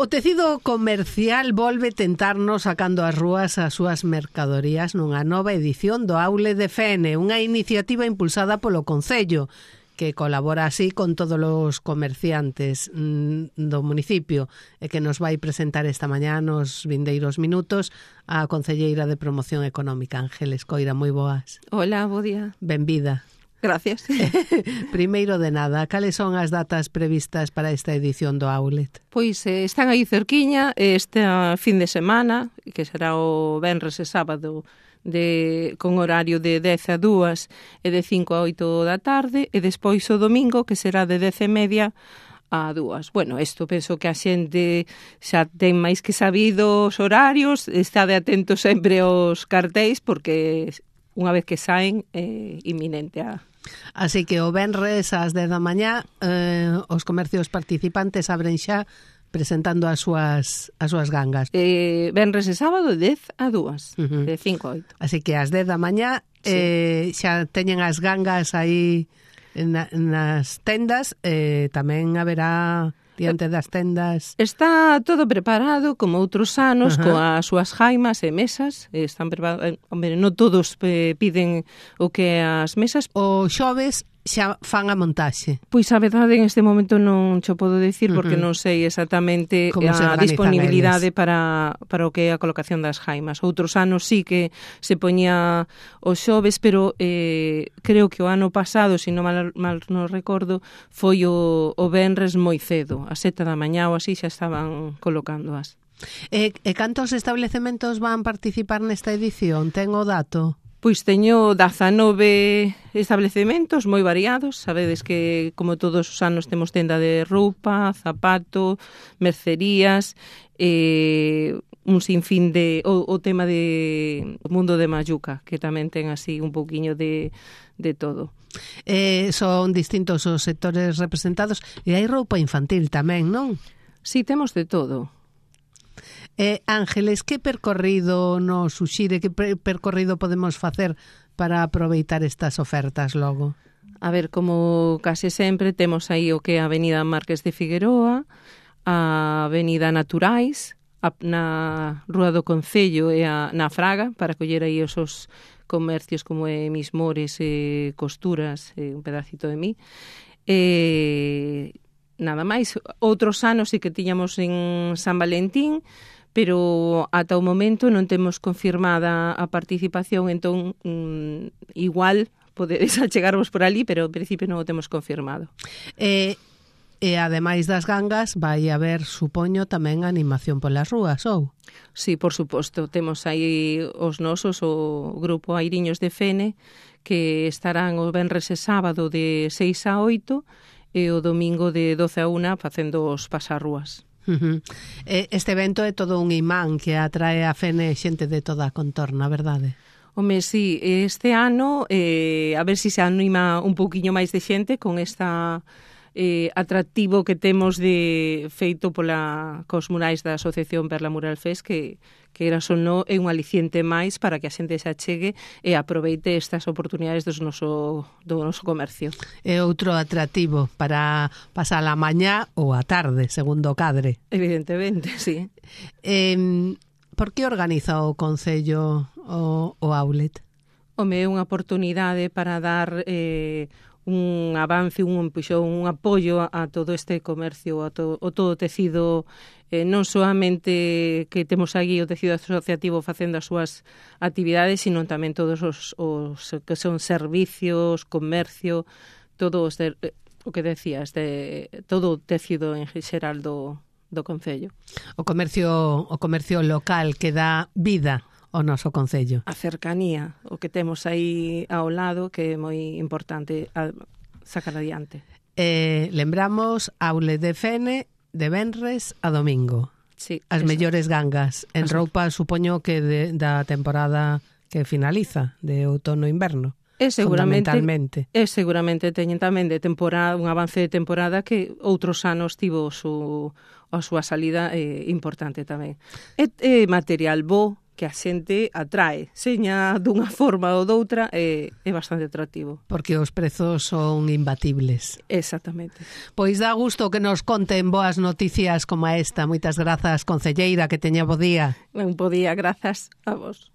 O tecido comercial volve tentarnos sacando ás rúas as súas mercadorías nunha nova edición do Aule de Fene, unha iniciativa impulsada polo Concello, que colabora así con todos os comerciantes do municipio e que nos vai presentar esta mañá nos vindeiros minutos a concelleira de Promoción Económica, Ángeles Coira. Moi boas. Hola, bo día. Benvida. Gracias. Primeiro de nada, cales son as datas previstas para esta edición do Outlet? Pois están aí cerquiña este fin de semana, que será o venres e sábado, con horario de 10 a 2 e de 5 a 8 da tarde, e despois o domingo, que será de 10:30 a 2. Bueno, isto penso que a xente xa ten máis que sabido os horarios, estade atento sempre aos cartéis, porque unha vez que saen é inminente a... Así que o venres ás 10 da mañá os comercios participantes abren xa presentando as súas gangas. Venres e sábado de 10 a 2, de 5 a 8. Así que ás 10 da mañá xa teñen as gangas aí nas tendas, tamén haberá diante das tendas. Está todo preparado como outros anos, coas súas jaimas e mesas. Están preparados. Hombre, non todos piden o que as mesas. O xoves xa fan a montaxe. Pois a verdade en este momento non cho podo decir porque non sei exactamente a disponibilidade para o que é a colocación das jaimas. Outros anos sí que se poñía os xoves, pero creo que o ano pasado, se non mal non recordo, foi o venres moi cedo, a 7 da mañá ou así xa estaban colocándoas. E cantos establecementos van participar nesta edición? Ten o dato? Pois teño 19 establecementos moi variados. Sabedes que, como todos os anos, temos tenda de roupa, zapato, mercerías, un sinfín de... O tema de mundo de Mayuca, que tamén ten así un pouquiño de todo. Son distintos os sectores representados e hai roupa infantil tamén, non? Sí, temos de todo. Ángeles, que percorrido nos suxire, que percorrido podemos facer para aproveitar estas ofertas logo? A ver, como case sempre, temos aí o que é a Avenida Marques de Figueroa, a Avenida Naturais, na Rúa do Concello e na Fraga, para coller aí os comercios como Mis Mores, Costuras, un pedacito de mí. Nada máis. Outros anos sí que tiñamos en San Valentín, pero ata o momento non temos confirmada a participación, entón igual podedes achegarvos por ali, pero en principio non o temos confirmado. E ademais das gangas vai haber, supoño, tamén animación polas rúas, ou? Sí, por suposto, temos aí os nosos, o grupo Airiños de Fene, que estarán o venres e sábado de 6 a 8 e o domingo de 12 a 1 facendo os pasarrúas. Este evento é todo un imán que atrae a Fene xente de toda a contorna, verdade? Home, sí, este ano a ver se anima un pouquiño máis de xente con esta atractivo que temos de feito cos murais da Asociación Perla Mural Fest, que eras ou non é un aliciente máis para que a xente se achegue e aproveite estas oportunidades do noso comercio. É outro atractivo para pasar a mañá ou a tarde, segundo o cadre. Evidentemente, sí. Por que organiza o Concello o Outlet? Home, é unha oportunidade para dar un avance, un empuxón, un apoio a todo este comercio, a todo o tecido, non solamente que temos aquí o tecido asociativo facendo as súas actividades, sino tamén todos os que son servicios, comercio, todo o que decías, todo o tecido en xeral do Concello. O comercio local que dá vida o noso Concello. A cercanía, o que temos aí ao lado, que é moi importante sacar adiante. Lembramos Outlet de Fene de venres a domingo. Sí, as mellores gangas en roupa, supoño que da temporada que finaliza, de outono-inverno. Fundamentalmente. Seguramente teñen tamén de temporada, un avance de temporada que outros anos tivo a súa salida importante tamén. É material bo, a xente atrae, seña dunha forma ou doutra, é bastante atractivo. Porque os prezos son imbatibles. Exactamente. Pois dá gusto que nos conten boas noticias como esta. Moitas grazas, concelleira, que teña bo día. Un bo día, grazas a vos.